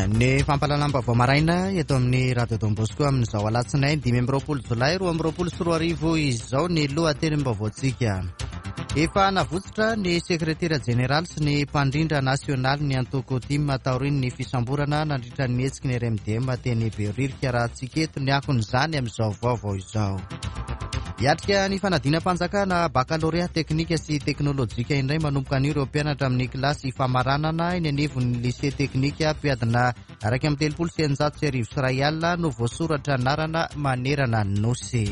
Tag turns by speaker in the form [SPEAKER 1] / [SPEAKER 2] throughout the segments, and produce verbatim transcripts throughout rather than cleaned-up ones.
[SPEAKER 1] Ny fampahalalam-baovao maraina eto amin'ny Radio Don Bosco amin'izao alatsinainy dimy amby roapolo jolay roa amby roapolo sy roa arivo izao ny lohatenim-baovaontsika. Efa navotsotra ny sekretera jeneraly sy ny mpandrindra nasionaly ny antoko TIM taorian'ny fisamborana nandritra ny hetsiky ny R M D M teny Behoririka, raha tsika eto ny akon'izany amin'izao vaovao izao. Hiatrika ny fanadinam-panjakana bakalorea teknika sy teknôlôjika indray manomboka anio ireo mpianatra amin'ny kilasy famaranana eny anivon'ny lycée teknika. Mpiadina iraika amby telopolo sy eninjato sy arivo sy iray alina no voasoratra anarana manerana ny nosy.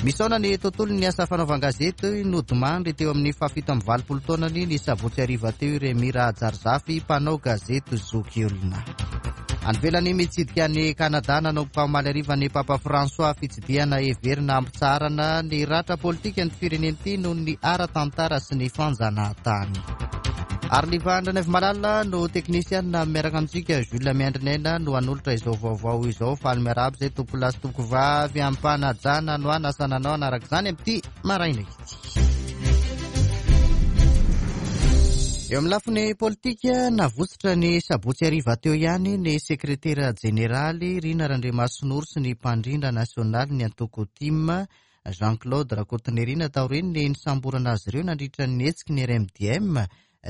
[SPEAKER 1] Misaona ny tontolo ny asa fanaovan-gazety. Nodimandry teo amin'ny fahafito amby valopolo taonany ny sabotsy hariva teo i Rémi Rahajarizafy, mpanao gazety zoky olona. Any ivelany, mitsidika ny Kanada nanomboka omaly hariva ny Papa François, fitsidihana heverina hampitsaharana ny ratra politika ny firenena ity noho ny ara-tantara sy ny fanjanahantany. Ary Liva Malala no teknisiana miaraka amintsika, Jules Miandrinaina no hanolotra izao vaovao izao. Faly miarahaba izay tompoko lahy sy tompoko vavy, ampanajana no anasana anao anaraka izany amin'ity maraina ity. Eo amin'ny lafiny politika, navotsotra ny sabotsy hariva teo ihany ny sekretera jeneraly Rina Randriamasinoro sy ny mpandrindra nasionaly ny antoko TIM Jean-Claude Rakotonirina taorian'ny nisamborana azy ireo nandritra ny hetsiky ny R M D M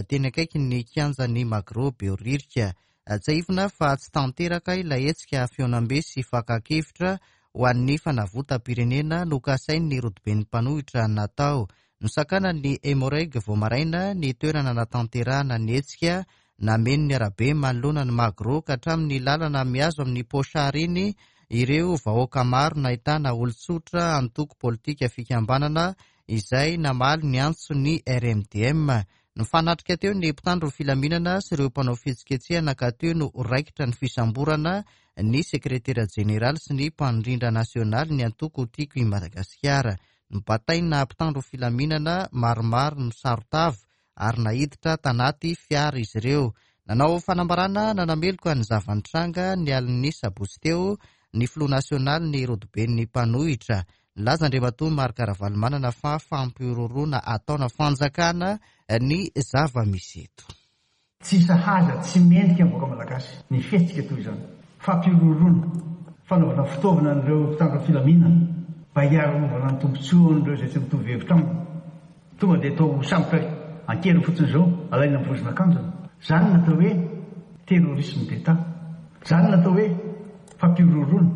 [SPEAKER 1] teny akaiky ny kianjan'ny Magro Behoririka. Tsiahivina fa tsy tanteraka ilay hetsika fihaonambe sy fakan-kevitra ho an'ny fanavotam-pirenena nokasain'ny rodoben'ny mpanohitra natao. Nosakana ny Emmo-Reg vao maraina ny toerana natanterahana ny hetsika. Nameno ny arabe manoloana ny Magro ka hatramin'ny lalana mihazo amin'ny Pochard iny ireo vahoaka maro, nahitana olon-tsotra, antoko politika, fikambanana izay namaly ny antso ny R M D M. Nifanatrika teo ny mpitandro filaminana sy ireo mpanao fihetsiketsehana ka teo no raikitra ny fisamborana ny sekretera jeneraly sy ny mpandrindra nasionaly ny antoko Tiako i Madagasikara. Nibataina mpitandro filaminana maromaro misaron-tava ary naiditra tanaty fiara izy ireo. Nanao fanambarana nanameloka ny zava-nitranga ny alin'ny sabotsy teo ny filoha nasionaly ny rodoben'ny mpanohitra. Nilaza Andriamatoa Marc Ravalomanana fa fampihorohoroana ataona fanjakana ny zava-misy eto.
[SPEAKER 2] Tsy sahaza, tsy mendrika ny vahoaka malagasy ny fihetsika toy izany. Fampihorohoroana, fanaovana fitaovana an'ireo mpitandro filaminana mba hiarovana ny tombontsoan'ireo izay tsy mitovy hevitra aminy. Tonga dia atao sambotra an-keriny fotsiny izao, alaina ny vozon'akanjony. Zany natao hoe terrorisme d'État, zany natao hoe fampihorohoroana,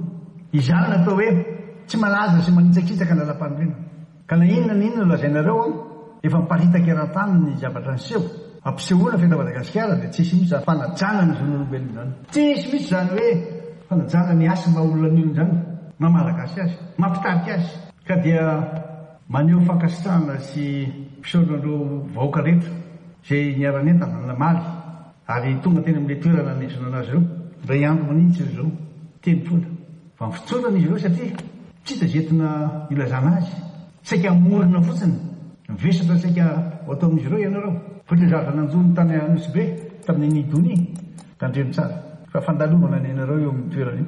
[SPEAKER 2] izany natao hoe tsy malaza sy manitsakitsaka ny lalam-panorenana. Ka na inona na inona lazainareo a, efa miparitaka eran-tany ny zavatra niseho. Ampisehoana fa eto Madagasikara dia tsisy mihitsy zany fanajana ny zon'olombelona zany, tsisy mihitsy zany hoe fanajana ny asa maha olona ny olona zany, maha malagasy azy, mampitarika azy. Ka dia maneho fankasitrahana sy fisaorana vahoaka rehetra zay niara-nentana namaly ary tonga teny amin'ilay toerana niantsoana anazy ireo. Ndray andro manintsy izy ireo teny foana fa mifotsorana izy ireo satria tsy hita zay entina ilazana azy, saika amorona fotsiny vesatra saika ho atao amin'izy ireo ianareo. Fa le zavatra nanjony tany Anosy Be tamin'ny nidony, tandremo tsara fa fandalovana ny anareo eo amin'ny toerana io,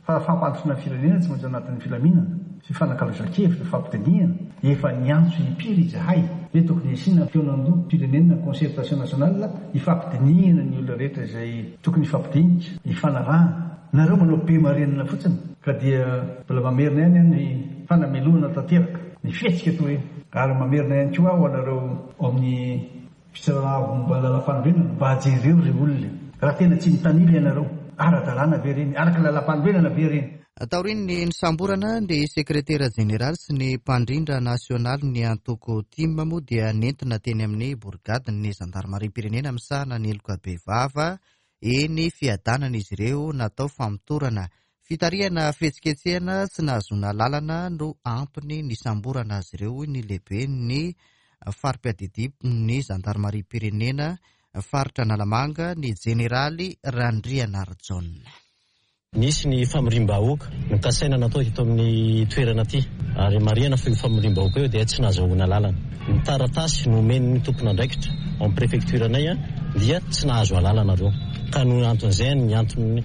[SPEAKER 2] fa fampandrosoana firenena tsy maintsy anatin'ny filaminana sy fanakalozan-kevitra, fampidinihana. Efa niantso impiry izahay hoe tokony asiana fihaonan-doham-pirenena, concertation nationale, ifampidinihana ny olona rehetra izay tokony ifampidinika, ifanarahana. Nareo manao be marenina fotsiny. Ka dia mbola mamerina ihany ny fanamelohana tanteraka ny fihetsika toy iny, ary mamerina ihany koa aho anareo amin'ny fitsarana avo momba ny lalam-panorenana mba jereo ry olona raha tena tsy mitanila ianareo, ara-dalàna ve reny, araka ny lalam-panorenana ve reny?
[SPEAKER 1] Taorian'ny nisamborana ny sekretera jeneraly sy ny mpandrindra nasionaly ny antoko TIM moa dia nentina teny amin'ny borigadin'ny zandarmariam-pirenena misahana ny heloka bevava eny Fiadanana izy ireo natao famotorana. Fitarihana fihetsiketsehana tsy nahazoana lalana no antony nisamborana azy ireo, hoy ny lehibe ny fari-piadidian'ny zandarmariam-pirenena faritra Analamanga, ny jeneraly Randrianarijaona.
[SPEAKER 3] Nisy ny famorim-bahoaka nokasaina natao eto amin'ny toerana aty, ary marihana fa io famorim-bahoaka io dia tsy nahazoana lalana. Ny taratasy nomen'ny tompon'andraikitra ao amin'ny préfecture anay a dia tsy nahazo alalana reo, ka no anton'izay ny antony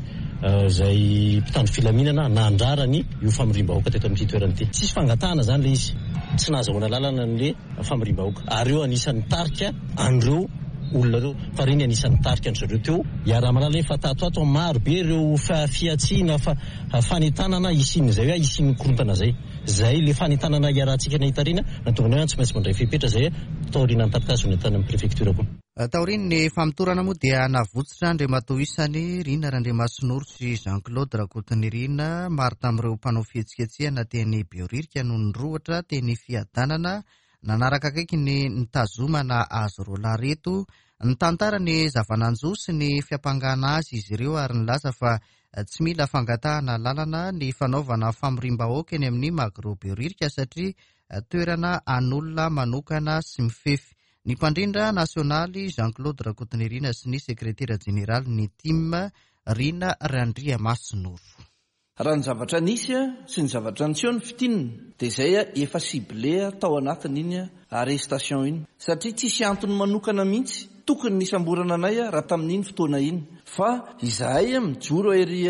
[SPEAKER 3] zay mpitandro filaminana nandrarany io famorim-bahoaka teto amin'ity toerana ity. Tsisy fangatahana zany le izy, tsy nahazoana lalana n'le famorim-bahoaka, ary io anisan'ny tarika an'ireo olona ireo fa reny anisan'ny tarika an-dry zareo teo. Iaraha-mahalala hoe fa tato ato maro be ireo fihatsiana fa fanentanana hisian'izay hoe hisian'ny korontana zay. Zay le fanentanana iarahantsika nahita reny nahatonga anay hoe tsy maintsy mandray fepetra zay taorian'ny taratasy nentana amin'ny prefecture koa.
[SPEAKER 1] Taorian'ny famotorana moa dia navotsitra Andriamatoa isany Rina Randriamasinoro sy Jean-Claude Rakotonirina. Maro tamin'ireo mpanao fihetsiketsehana teny Behoririka no nirohotra teny Fiadanana nanaraka akaiky ny nitazomana azy roa lahy ireto. Nitantara ny zava-nanjo sy ny fiampangana azy izy ireo ary nilaza fa tsy mila fangatahana lalana ny fanaovana famoriam-bahoaka eny amin'ny Magro Behoririka satria toerana an'olona manokana sy mifefy. Ny mpandrindra nasionaly Jean-Claude Rakotonirina sy ny sekretera jeneraly ny TIM Rina Randriamasinoro.
[SPEAKER 4] Raha ny zavatra nisy sy ny zavatra niseho ny fitinina dia izay efa ciblé tao anatin'iny arrestation iny satria tsisy antony manokana mihitsy tokony nisamborana anay raha tamin'iny fotoana iny fa izahay mijoro ery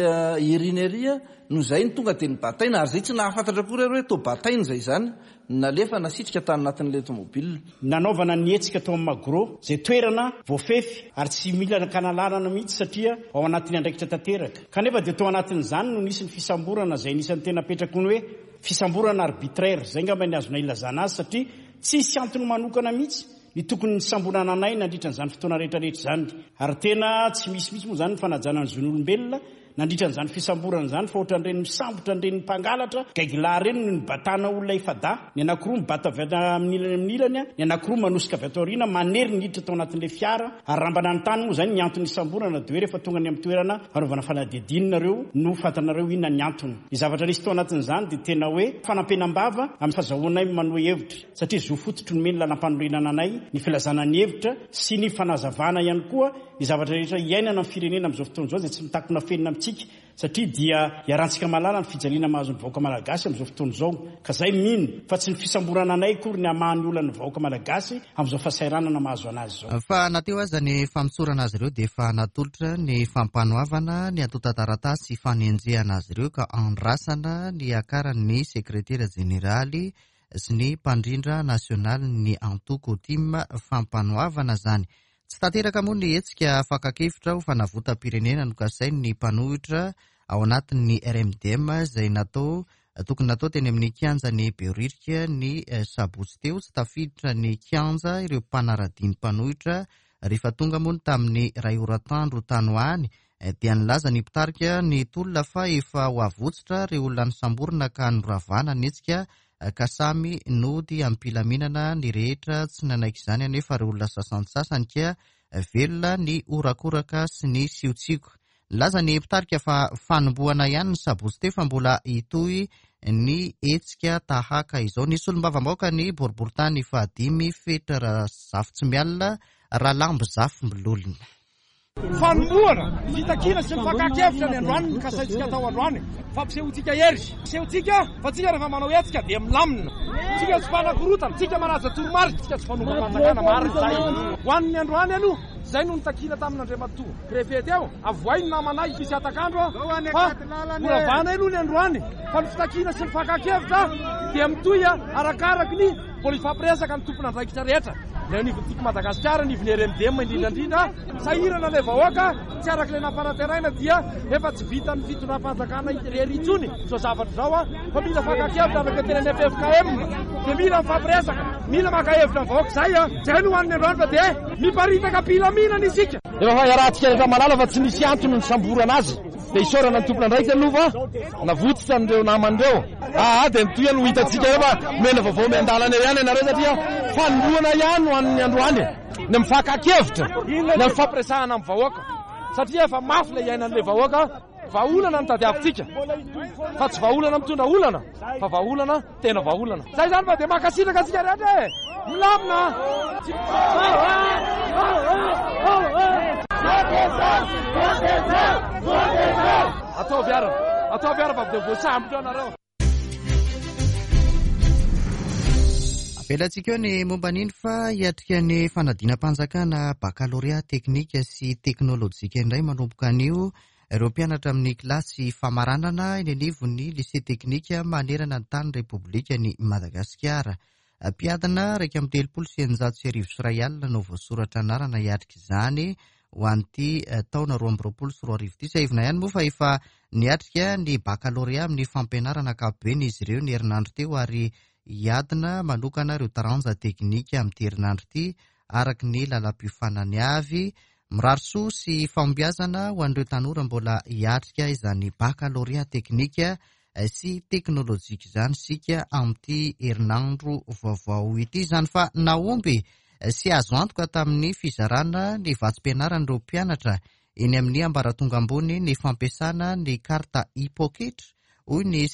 [SPEAKER 4] erina ery no izay ny tonga dia nibataina ary izay tsy nahafantatra akory hoe to bataina izay izany nalefa nasitrika tany anatin'ilay tomobile.
[SPEAKER 5] Nanaovana ny hetsika tao amin'ny Magro izay toerana voafefy ary tsy mila nakana lalana mihitsy satria ao anatin'ny andraikitra tanteraka. Kanefa dia tao anatin'izany no nisy ny fisamborana izay nisan'ny tena petraka ny hoe fisamborana arbitraire izay angamba ny azona ilazana azy satria tsisy antony manokana mihitsy ny tokony nisamborana anay nandritra an'izany fotoana rehetrarehetra izany ary tena tsy misy mihitsy moa izany ny fanajana ny zon'olombelona nandritra an'izany fisamborana izany fa ohatran'ireny misambotra an'ireny mpangalatra gaigilahy ireny no nibatana olona efa-dahy ny anankiroa mibata avy amin'ny ilany amin'ny ilany ny anankiroa manosika avy ato aoriana manery ny hiditra tao anatin'ilay fiara ary raha mba nanontany moa izany ny antony nisamborana dia hoe rehefa tonga any amin'ny toerana fanaovana fanadihadiana nareo no fantanareo inona ny antony. Ny zavatra nisy tao anatin'izany dia tena hoe fanampenam-bava amin'ny fahazahoanay manohy hevitra satria zo fototry nomeny lalam-panorenana anay ny filazana ny hevitra sy ny fanazavana ihany koa ny zavatra rehetra iainana amin'ny firenena amin'izao fotoana izao izay tsy mitakona fenina amintsika satria dia iarahantsika mahalala ny fijaliana mahazo ny vahoaka malagasy amin'izao fotoana izao ka zay mino fa tsy ny fisamborana anay akory ny hamaha ny olan'ny vahoaka malagasy amin'izao fahasahiranana mahazo anazy izao.
[SPEAKER 1] Fa na teo aza ny famotsorana azy ireo dia efa natolotra ny fampanoavana ny antontan-taratasy fanenjehana azy ireo ka andrasana ny akaran'ny sekretera jeneraly sy ny mpandrindra nasionaly ny antoko TIM fampanoavana zany. Tsy tanteraka moa ny hetsika fakan-kevitra ho fanavotam-pirenena nokasain'ny mpanohitra ao anatin'ny R M D M izay natao tokony natao teny amin'ny kianjan'ny Behoririka ny sabotsy teo. Tsy tafiditra ny kianja ireo mpanara-dia ny mpanohitra rehefa tonga moa ny tamin'ny iray ora atoandro tany ho any dia nilaza ny mpitarika ny tolona fa efa ho avotsitra ireo olona nisamborina ka noravana ny hetsika ka samy nody am-pilaminana ny rehetra. Tsy nanaiky izany anefa ireo olona sasantsasany ka velona ny horakoraka sy ny siotsioko. Nilaza ny mpitarika fa fanombohana ihany ny sabotsy teo fa mbola hitohy ny hetsika tahaka izao. Ny solombavambahoaka ny boriborintany fahadimy Fetra Razafintsimialona Ralambo Zafimbololona.
[SPEAKER 6] Fanombohana ny fitakiana sy ny fakan-kevitra ny androany ny kasaintsika atao androany. Fampisehoantsika hery, ampisehoantsika fa tsika rehefa manao hetsika dia milamina. Tsika tsy mpanakorotana, tsika manaja toromarika, tsika tsy fanombam-panjakana marina izay. Ho an'ny androany aloha, izay no nitakiana tamin'Andriamatoa préfet teo, avoay ny namanay misy atakandro fa horavana aloha ny androany. Fa ny fitakiana sy ny fakan-kevitra dia mitohy arakaraky ny mbola hifampiresaka ny tompon'andraikitra rehetra. Ilay anivon'ny Tiako Madagasikara, anivon'ny R M D M indrindra indrindra, sahirana ilay vahoaka, tsy araka ilay nampanantenaina dia efa tsy vitan'ny fitondram-panjakana irery intsony izao zavatra izao a, fa mila fakan-kevitra araka ny tenin'ny F F K M, dia mila mifampiresaka, mila maka hevitra ny vahoaka izay a. Izay no hoan'ny androany fa dia miparitaka am-pilaminana isika. Efa fa iarahantsika rehetra mahalala fa tsy misy antony nisamborana azy. Dia isaorana ny tompon'andraikitra aloha fa navotsitra an'ireo namany ireo. Ah, dia mitohy aloha hitantsika eo fa mena vaovao miandalana eo ihany ianareo satria fanombohana ihany ho an'ny androany. Ny mifakan-kevitra, ny mifampiresahana amin'ny vahoaka satria efa mafy ilay iainan'ilay vahoaka. Vahaolana no tadiavintsika fa tsy vahaolana mitondra olana fa vahaolana tena vahaolana. Zay izany fa dia mankasitraka antsika rehetra e. Milamina. Ataovy ara, ataovy ara fa dia voasambotra ianareo.
[SPEAKER 1] Avelantsika eo ny momba an'iny fa hiatrika ny fanadinam-panjakana bakalorea teknika sy teknôlôjika indray manomboka anio ireo mpianatra amin'ny kilasy famaranana eny anivon'ny lycée teknika manerana ny tany Repoblikan'i Madagasikara. Mpiadina iraika amby telopolo sy eninjato sy arivo sy iray alina no voasoratra anarana hiatrika izany ho an'ity taona roa amby roapolo sy roa arivo ity. Tsiahivina ihany moa fa efa niatrika ny bakalorea amin'ny fampianarana ankapobeny izy ireo ny herinandro teo ary hiadina manokana ireo taranja teknika amin'ity herinandro ity araka ny lalam-piofanany avy. Mirary soa sy fahombiazana ho an'ireo tanora mbola hiatrika izany bakalorea teknika sy teknolojika izany isika amin'ity herinandro vaovao ity izany. Fa nahomby sy azo antoka tamin'ny fizarana ny vatsim-pianaran'ireo mpianatra eny amin'ny ambaratonga ambony ny fampiasana ny karta e-poketra, hoy ny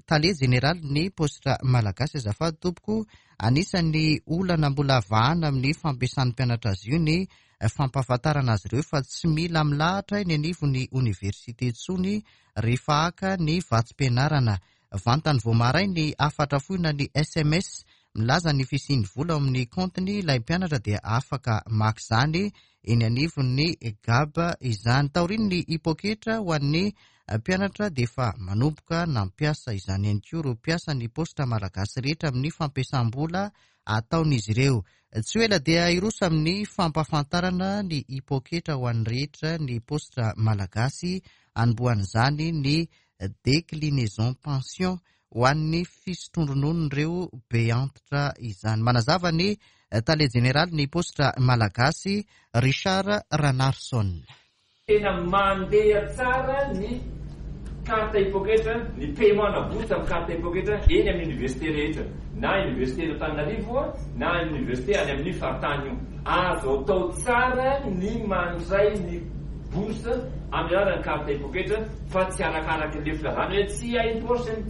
[SPEAKER 1] tale jeneraly ny Paositra Malagasy. Azafady tompoko, anisan'ny olana mbola vahana amin'ny fampiasan'ny mpianatra azy io ny fampahafantarana azy ireo fa tsy mila milahatra eny anivon'ny oniversite intsony rehefa haka ny vatsim-pianarana. Vantany vao maray ny hafatra fohy na ny S M S milaza ny fisian'ny vola ao amin'ny kaontiny ilay mpianatra dia afaka maka izany eny anivon'ny G A B izany. Taorian'ny e-poketra ho an'ny mpianatra dia efa manomboka nampiasa izany ihany koa ireo mpiasa ny Paositra Malagasy rehetra amin'ny fampiasam-bola ataon'izy ireo. Tsy ho ela dia hiroso amin'ny fampahafantarana ny e-poketra ho an'ny rehetra ny Paositra Malagasy, anombohan'izany ny déclinaison pension ho an'ny fisotroan-drononon'ireo be antitra izany. Manazava ny tale jeneraly ny Paositra Malagasy, Richard Ranarison.
[SPEAKER 7] Tena mandeha tsara ny carte e-poketra, ny paiement na bourse amin'ny carte e-poketra eny amin'ny université rehetra, na université eto Antananarivo na université any amin'ny faritany io. Azo atao tsara ny mandray ny bourse amin'ny alalan'ny carte e-poketra fa tsy arakaraka ilay filazana hoe tsy hay poche ny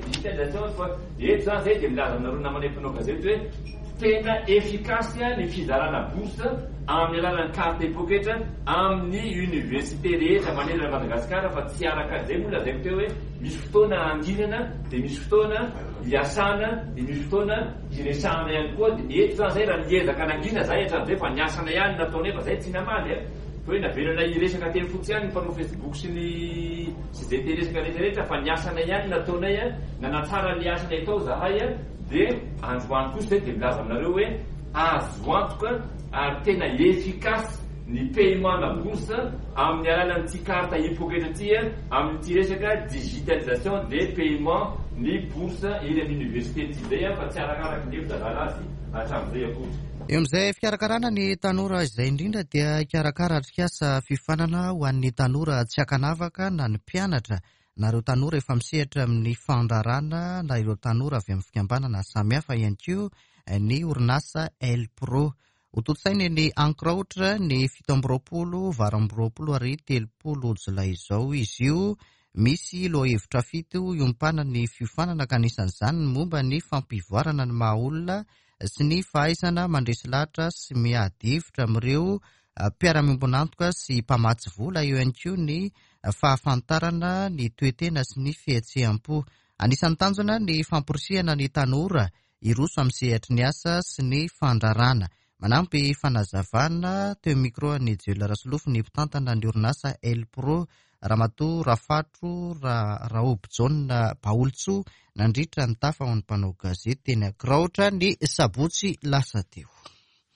[SPEAKER 7] digitalisation, fa eto izany zay dia milaza aminareo namana mpanao gazety hoe tena efficace ny fizarana bourse amin'ny alalan'ny carte e-poketra amin'ny université rehetra manerana Madagasikara, fa tsy araka izay moa lazaiko teo hoe misy fotoana anginana dia misy fotoana hiasana dia misy fotoana hiresahana ihany koa. Dia eto izany zay raha niezaka nangina zahay hatramin'izay fa niasana ihany nataonay fa zay tsy namaly e. Fa hoe navelana hiresaka teny fotsiny ihany ny mpanao Facebook sy ny sy izay te hiresaka rehetrarehetra fa niasana ihany nataonay a, nanatsara ny asanay tao zahay a, dia androany kosa zay dia milaza aminareo hoe azo antoka ary tena efficace ny paiement na bourse amin'ny alalan'ity carte e-poketra ity a, amin'ity resaka digitalisation des paiements ny bourse eny amin'ny université ity zay a, fa tsy arakaraka ny hevitra zala azy hatramin'izay akory.
[SPEAKER 1] Eo amin'izay fikarakarana ny tanora izay indrindra dia hikarakara atrikasa fiofanana ho an'ny tanora tsy ankanavaka na ny mpianatra na ireo tanora efa misehatra amin'ny fandraharahana na ireo tanora avy amin'ny fikambanana samihafa ihany koa ny orinasa Elpro. Hotontosaina eny Ankorahotra ny fito amby roapolo, valo amby roapolo ary telopolo jolay izao izy io. Misy lohahevitra fito iompanan'ny fiofanana ka anisan'izany ny momba ny fampivoarana ny maha olona sy ny fahaizana mandresy lahatra sy miady hevitra amin'ireo mpiara-miombon'antoka sy mpamatsy vola, eo ihany koa ny fahafantarana ny toe-tena sy ny fihetseham-po. Anisan'ny tanjona ny famporisihana ny tanora hiroso amin'ny sehatry ny asa sy ny fandraharahana. Manampy fanazavana teo micro an'i Joel Rasolofo ny mpitantana ny orinasa Elpro, Ramatoa Rafatro Raobijaona Baolotsoa, nandritra ny tafa ho an'ny mpanao gazety teny Ankorahotra ny sabotsy lasa teo.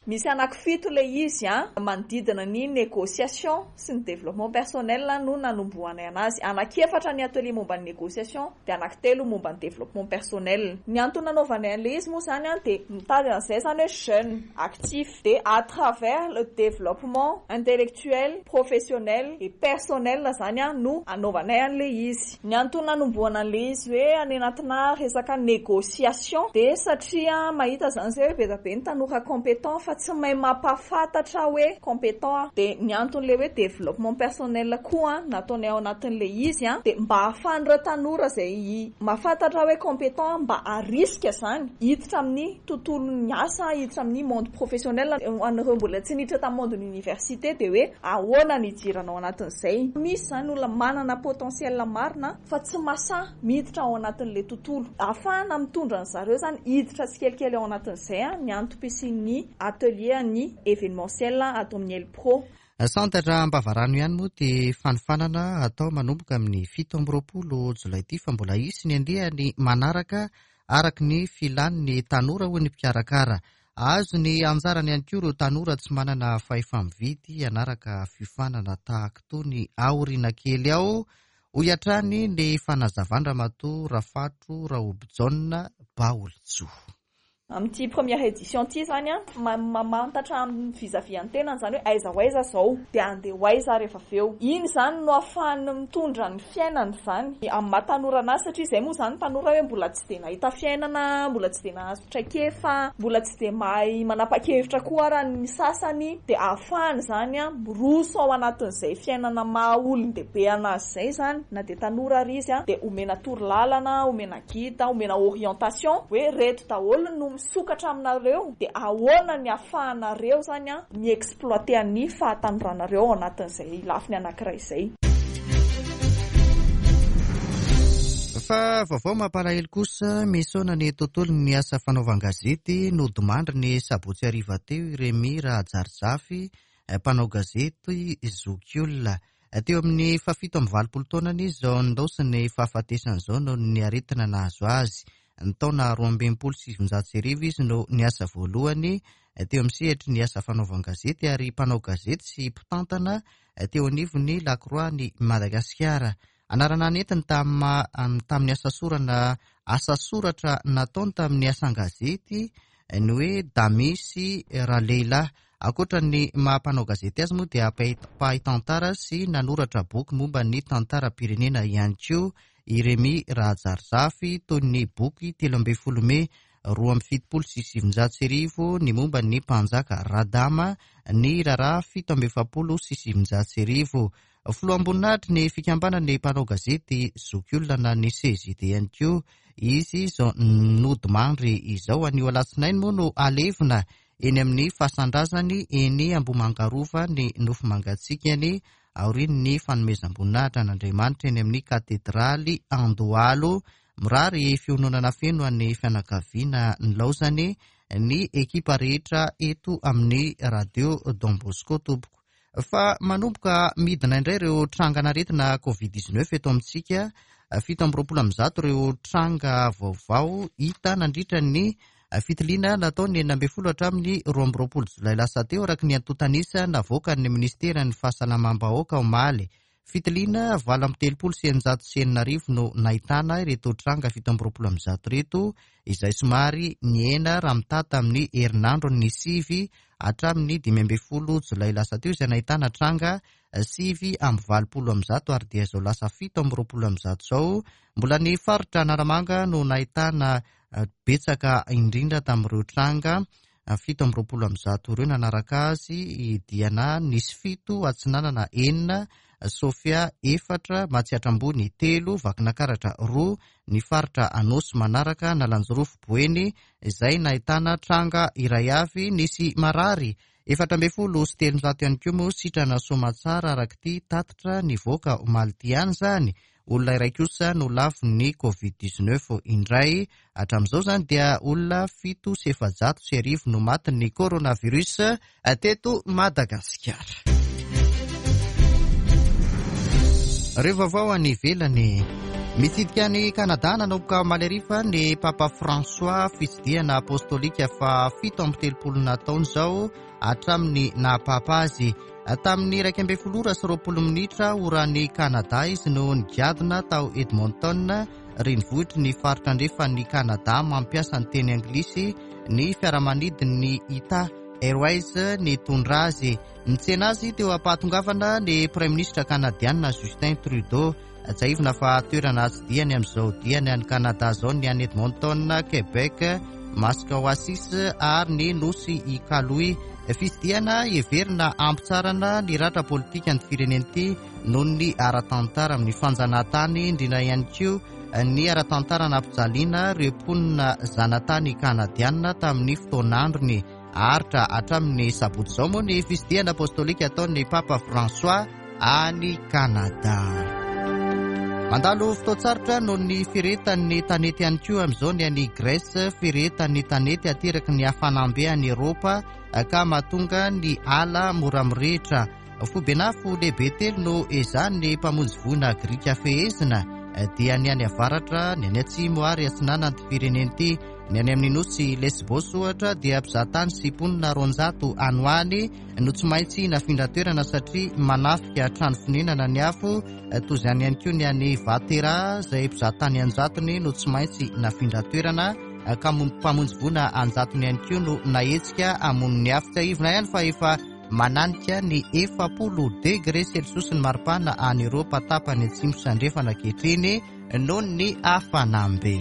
[SPEAKER 8] Misy anankifito ilay izy a, manodidina ny négociation sy ny développement personnel no nanombohanay anazy. Anankiefatra ny atelier momba ny négociation dia anankitelo momba ny développement personnel. Ny antony nanaovanay an'ilay izy moa izany a, dia mitady an'izay izany hoe jeune actif, dia à travers le développement intellectuel, professionnel et personnel izany a no anaovanay an'ilay izy. Ny antony nanombohana an'ilay izy hoe any anatina resaka négociation dia satria mahita izany izay hoe be dia be ny tanora compétent fa tsy mahay mampahafantatra hoe compétent. Dia ny anton'ilay hoe développement personnel koa nataonay ao anatin'ilay izy a, dia mba ahafahan'ireo tanora izay mahafantatra hoe compétent mba harisika izany hiditra amin'ny tontolon'ny asa, hiditra amin'ny monde professionnel. Ho an'ireo mbola tsy niditra tamin'ny monde ny université dia hoe ahoana ny hidirana ao anatin'izay. Misy izany olona manana potentiel marina fa tsy masahy miditra ao anatin'ilay tontolo. Ahafahana mitondra an zareo izany hiditra tsikelikely ao anatin'izay a, ny antom-pisian'ny atelier ny événementiel ato amin'ny Elpro.
[SPEAKER 1] Santatra Ambavarano ihany moa ty fanofanana atao manomboka amin'ny fito amby roapolo jolay ity, fa mbola hisy ny andiany manaraka araka ny filan'ny tanora hoy ny mpikarakara. Azo ny anjarany ihany koa ireo tanora tsy manana fahefa-mividy hanaraka fiofanana tahaka itony aoriana kely ao, hoy hatrany ny fanazavan-dRamatoa Rafatro Raobijaona Baolintsoa.
[SPEAKER 8] Amin'ity première édition ity zany a, mamantatra amin'ny vis-à-vis an'ny-tenany zany hoe aiza ho aiza zao, dia andeha ho aiza rehefa avy eo. Iny zany no ahafahany mitondra ny fiainany zany amin'ny maha tanora anazy, satria izay moa zany tanora hoe mbola tsy dia nahita fiainana, mbola tsy dia nahazo traikefa, mbola tsy dia mahay manapa-kevitra koa raha ny sasany, dia ahafahany zany a miroso ao anatin'izay fiainana maha olon-dehibe anazy izay zany, na dia tanora ary izy a, dia omena torolalana, omena guide, omena orientation hoe reto daholo no misokatra aminareo, dia ahoana ny ahafahanareo zany a mi-exploiter ny fahatanoranareo ao anatin'izay lafiny anankiray izay.
[SPEAKER 1] Fa vaovao mampalahelo kosa, misaona ny tontolon'ny asa fanaovan-gazety nodimandry ny sabotsy hariva teo i Remy Rahajarizafy, mpanao gazety zokiolona. Teo amin'ny fahafito amby valopolo taonany izy izao nindaosin'ny fahafatesana izao noho ny aretina nahazo azy. Ny taona roa amby enimpolo sy sivinjato sy arivo izy no niasa voalohany teo amin'ny sehatry ny asa fanaovan-gazety ary mpanao gazety sy mpitantana teo anivon'ny Lakroa ny Madagasikara. Anarana nentiny tamin'ny asa sorana asa soratra nataony tamin'ny asan-gazety ny hoe Damisy Ralehilahy. Ankoatra ny maha mpanao gazety azy moa dia mpahay tantara sy nanoratra boky momba ny tantaram-pirenena ihany koa i Remy Rahajarizafy, toy ny boky telo ambin'ny folo mey roa amby fitopolo sy sivinjato sy arivo ny momba ny mpanjaka Radama, ny raharaha fito amby efapolo sy sivinjato sy arivo. Filoham-boninahitry ny fikambanan'ny mpanao gazety zokiolona na ny C J D ihany koa izy izao nodimandry izao. Anio alatsinainy moa no alevina eny amin'ny fasan-drazany eny Ambohimangarova ny nofo mangatsiakany aorian'ny fanomezam-boninahitra an'Andriamanitra eny amin'ny katedraly Andohalo. Mirary fiononana feno an'ny fianakaviana nilaozany ny ekipa rehetra eto amin'ny Radio Don Bosco tompoko. Fa manomboka midina indray ireo trangan'aretina covid dix-neuf eto amintsika. Fito amby roapolo amby zato ireo tranga vaovao hita nandritra ny fitiliana natao ny enina ambin'ny folo hatramin'ny roa amby roapolo jolay lasa teo, araka ny antontan'isa navoakan'ny ministeran'ny fahasalamam-bahoaka omaly. Fitiliana valo amby telopolo sy eninjato sy enina arivo no nahitana ireto tranga fito amby roapolo amby zato ireto, izay somary nihena raha mitaha tamin'ny herinandro ny sivy hatramin'ny dimy ambin'ny folo jolay lasa teo, izay nahitana tranga sivy amby valopolo amby zato ary dia izao lasa fito amby roapolo amby zato izao. Mbola ny faritra Analamanga no nahitana betsaka indrindra tamin'ireo tranga fito amby roapolo amby zato ireo. Nanaraka azy Diana nisy fito, Atsinanana enina, Sofia efatra, Matsiatra Ambony telo, Vakinakaratra roa, ny faritra Anosy manaraka Analanjirofo Boeny izay nahitana tranga iray avy. Nisy marary efatra ambin'ny folo sy telonjato ihany koa moa sitrana soamatsara araka ity tatitra nivoaka omaly ity ihany izany. Olona iray kosa no lavon'ny covid dix-neuf indray. Hatramin'izao izany dia olona fito sy efajato sy arivo no matin'ny coronavirus teto Madagasikara. Ireo vaovao any ivelany. Mitsidika ny Kanada nanomboka omaly hariva ny Papa François, fitsidihana apostolika fa fito amby telopolo nataony izao hatramin'ny nahapapa azy. Tamin'ny iraika ambin'ny folo ora sy roapolo minitra oran'ny Kanada izy no nigadona tao Edmonton, renivohitry ny faritra andrefan'ny Kanada mampiasa ny teny anglisy ny fiaramanidin'ny Ita Airways nitondra azy. Nitsena azy teo am-pahatongavana ny Praiminisitra kanadiana Justin Trudeau. Tsiahivina fa toerana tsidihany amin'izao diany any Kanada izao ny any Edmonton, Québec, Maskwacis ary ny nosy Iqaluit. Fitsidihana heverina hampitsarana ny ratra politika ny firenena ity noho ny ara-tantara amin'ny fanjanahantany, indrindra ihany koa ny ara-tantara nampijaliana ireo mponina zanatany kanadiana tamin'ny fotoan'androny. Aritra hatramin'ny sabotsy izao moa ny fitsidihana apostolika ataon'ny Papa François any Kanada. Mandalo fotoan-tsarotra noho ny firehetan'ny tanety ihany koa amin'izao ny any Grèce, firehetan'ny tanety ateraky ny hafanam-be any Eropa ka mahatonga ny ala mora mirehitra. Foiben'afo lehibe telo no ezahan'ny mpamonjy voina grika fehezina dia ny any avaratra, ny any atsimo ary atsinanan'ity firenena ity. Ny any amin'ny nosy Lesbos ohatra dia mpizahatany sy mponina roanjato any ho any no tsy maintsy nafindra toerana satria manafika trano fonenana ny afo. Toy izany ihany koa ny any Vatera izay mpizahatany anjatony no tsy maintsy nafindra toerana ka mpamonjy voina anjatony ihany koa no nahetsika hamono ny afo. Tsiahivina ihany fa efa mananika ny efapolo degré celsius ny maripana any Eoropa tapany atsimo sy andrefana ankehitriny noho ny hafanam-be.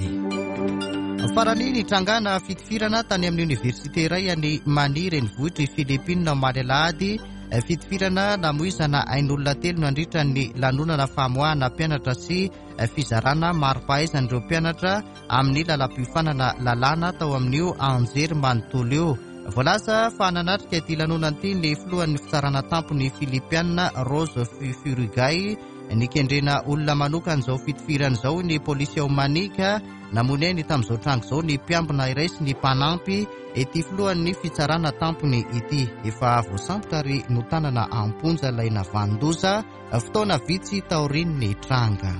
[SPEAKER 1] Farany, nitrangana fitifirana tany amin'ny oniversite iray any Manille, renivohitr'i Philippines, omaly alahady. Fitifirana namoizana ain'olona telo nandritra ny lanonana famoahana mpianatra sy fizarana mari-pahaizan'ireo mpianatra amin'ny lalam-piofanana lalàna tao amin'io anjery manontolo io. Voalaza fa nanatrika ity lanonana ity ny filohan'ny fitsarana tampony Filipiana, Rose Furugay. Nikendrena olona manokana izao fitifirana izao ny polisy ao Manika. Namoy ainy tamin'izao tranga izao ny mpiambina iray sy ny mpanampy ity filohan'ny fitsarana tampony ity. Efa voasambotra ary notanana am-ponja ilay navanon-doza fotoana vitsy taorian'ny tranga.